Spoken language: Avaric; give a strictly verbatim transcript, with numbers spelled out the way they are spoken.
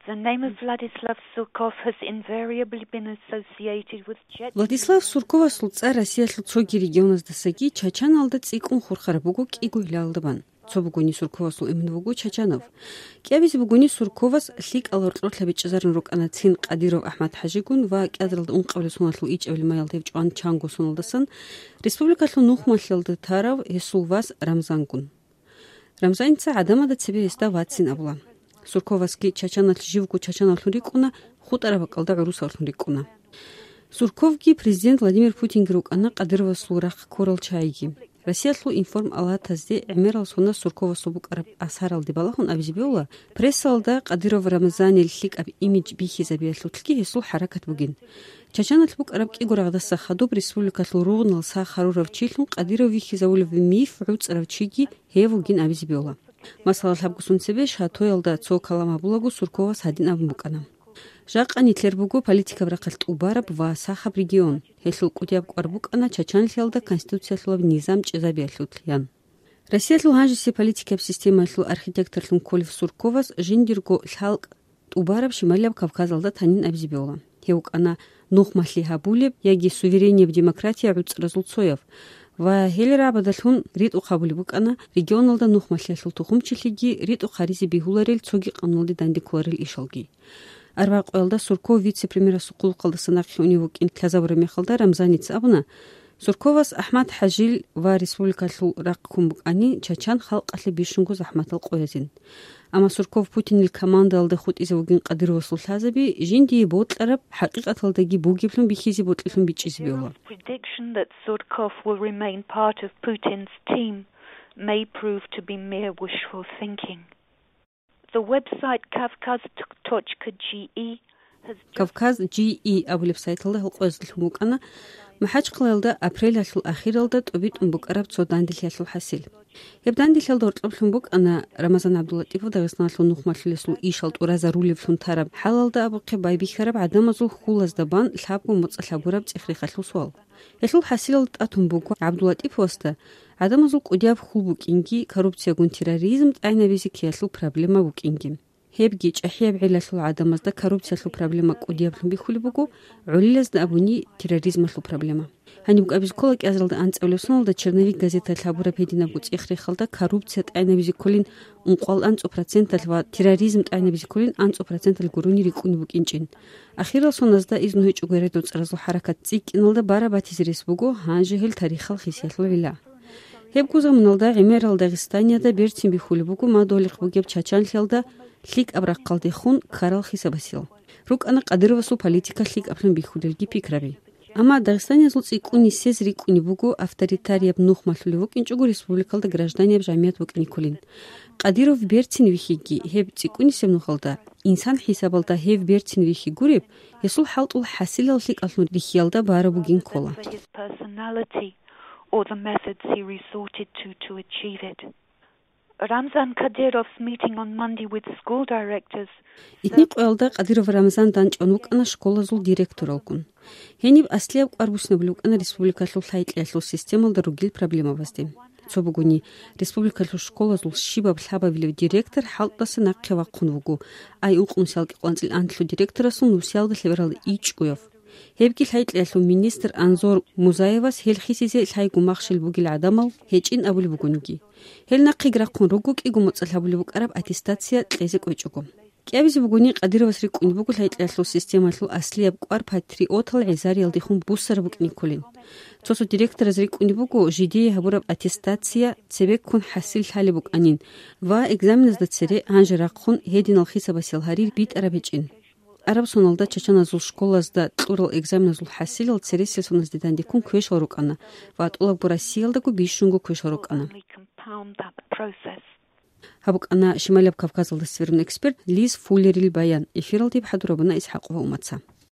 The name of Vladislav Surkov has invariably been associated with Chechnya. Владислав Сурковасул цӀар Россиялъул цоги регионаздасаги Чачаналда цӀикӀкӀун хурхараб буго кӀиго гьалалда бан. Цо бугони Сурковасул эмен вуго Чачанов. КӀиабизе бугони Сурковас лъикӀал гьоркьорлъа бичӀчӀизарун рукӀана цин Кадыров АхӀмад-ХӀажигун ва кӀиазаралда ункъабилеб соналъул ичӀабилеб маялда гьев чӀван чанго соналдасан республикалъул нухмалъиялда тарав гьесул вас Рамзангун. Рамзаница гӀадамазда цебе гьесда вацин абула. Сурковасги Чачаналъ живго чачанавлъун рикӀкӀуна, хутӀараб бакӀалда гӀурусавлъун рикӀкӀуна. Сурковги президент Владимир Путинги рукӀана Кадыровасул рахъ ккурал чагӀиги. Россиялъул информалатазде гӀемерал сона Сурковасул букӀараб асаралде балагьун абизе бегьула, прессалда Кадыров Рамзанил лъикӀаб имидж бихьизабиялъулъги гьесул хӀаракат бугин. Чачаналъ букӀараб кӀиго рагъдаса хадуб республикалъул ругънал сах гьарурав чилъун Кадыров вихьизавулев миф гӀуцӀарав чиги гьев вугин абизе бегьула. Масала, лъабго сон цебе Шатоялда цо калам гьабулаго Сурковас гьадин абун букӀана: «Жакъа нилъер буго политикаб рахъалъ тӀубараб ва сахаб регион. Гьелъул кӀудияб кӀвар букӀана чачанлъиялда конституциялъулаб низам чӀезабиялъулъ», – ян. Россиялъул гьанжеси политикаб системаялъул архитекторлъун кколев Сурковас жиндирго лъалкӀ тӀубараб Шималияб Кавказалда танин абизе бегьула. Гьев вукӀана нухмалъи гьабулеб яги суверенияб демократия гӀуцӀразул цояв ва гьел рагӀабадалъун ритӀухъ гьабулеб букӀана регионалда нухмалъиялъул тухумчилъиги ритӀухъ гьаризе бегьуларел цоги къануналде дандекколарел ишалги. Арбякъоялда Сурков вице-премьерасул хъулухъалдаса нахъе унев вукӀин лъазабураб мехалда Рамзаница абуна, Сурковас АхӀмад-ХӀажил ва республикалъул рахъ ккун букӀани, чачан халкъалъе бищунго захӀматал къоязин. Амма Сурков Путинил командаялда хутӀизе вугин Кадыровасул лъазаби жиндие бокьараб, хӀакъикъаталдаги бугеблъун бихьизе бокьилъун бичӀчӀизе бегьула. Prediction that Surkov will remain part of Putin's team may prove to be mere wishful thinking. The website kavkaz.ge has just Кавказ G E абулеб сайталда гьал къоязда лъун букӀана МахӀачхъалаялда апрелалъул ахиралда тӀубитӀун букӀараб цо данделъиялъул хӀасил. Гьеб данделъиялда гьоркьоб лъун букӀана Рамазан ГӀабдуллатӀипов Дагъистаналъул нухмалъулесул ишал тӀуразарулевлъун тараб хӀалалда абухъе байбихьараб гӀадамазул хьулазда бан лъабго моцӀалъ гьабураб цӀех-рехалъул суал. Гьелъул хӀасилалда тӀатун буго ГӀабдуллатӀиповасда гӀадамазул кӀудияб хьул букӀинги, коррупциягун терроризм тӀагӀинабизе ккеялъул проблема букӀинги. Гьебги чӀахӀияб гӀиллалъул гӀадамазда коррупциялъул проблема кӀудияблъун бихьулеб буго, гӀолилазда абуни терроризмалъул проблема. Гьаниб кӀабиз ккола кӀиазаралда анцӀабилеб соналда «Черновик» газеталъ гьабураб гьединабго цӀех-рехалда коррупция тӀагӀинабизе кколин ункъоялда анцӀу проценталъ ва терроризм тӀагӀинабизе кколин анцӀу проценталъ гурони рикӀкӀунеб букӀинчӀин. Ахирал соназда изну гьечӀого гьеред-вацӀцӀаразул хӀаракат цӀикӀкӀиналда бараб батизе рес буго, гьанже гьел тарихал хисиялъул гӀилла. Гьебго заманалда гӀемерал Дагъистаниялда берцин бихьулеб буго мадугьалихъ бугеб чачанлъиялда лъикӀаб рахъалдехун ккарал хисабасел. РукӀана Кадыровасул политика лъикӀаблъун бихьулелги пикраби. Амма дагъистаниязул цӀикӀкӀун нисез рикӀкӀунеб буго авторитарияб нухмалъулев вукӀинчӀого республикалда гражданияб жамият букӀине кколин. Кадыров берцин вихьиги, гьеб цӀикӀкӀунисеб нухалда, инсан хӀисабалда гьев берцин вихьи гуреб, гьесул хӀалтӀул хӀасилал лъикӀаллъун рихьиялда бараб бугин ккола. For his personality or the methods he resorted to to achieve it. Ramzan Kadyrov's meeting on Monday with school directors Итни къоялда Кадыров Рамзан данчӀван вукӀана школазул директоралгун. Гьениб аслияб кӀвар буссинабулеб букӀана республикалъул лъай-кьеялъул системалда ругел проблемабазде. Цо бугони, республикалъул школазул щибаб лъабабилев директор хӀалтӀаса нахъе вахъун вуго, ай ункънусиялда кӀикъоялда анлъго директорасул нусиялда лъебералда ичӀгояв. Гьебги лъай-кьеялъул министр Анзор Музаевас гьел хисизе лъайгун махщел бугел гӀадамал гьечӀин абулеб бугониги. Гьел нахъеги рахъун руго кӀиго моцӀалъ гьабулеб букӀараб аттестация кьезе кӀвечӀого. КӀиабизе бугони, Кадыровас рикӀкӀунеб буго лъай-кьеялъул системалъул аслияб кӀвар патриотал гӀезариялдехун буссараб букӀине кколин. Цо-цо директораз рикӀкӀунеб буго жидее гьабураб аттестация цебеккун хӀасил лъалеб букӀанин ва экзаменазда цере гьанже рахъун гьединал хисабасел гьарир битӀараб гьечӀин. Араб соналда чачаназул школазда кьурал экзаменазул хӀасилал цересел соназде дандеккун квешал рукӀана ва тӀолабго Россиялдаго бищунго квешал рукӀана. Compound that process. Гьаб букӀана Шималияб Кавказалда сверун эксперт Лиз Фуллерил баян. Эфиралде хӀадур гьабуна ИсхӀакъова Умаца.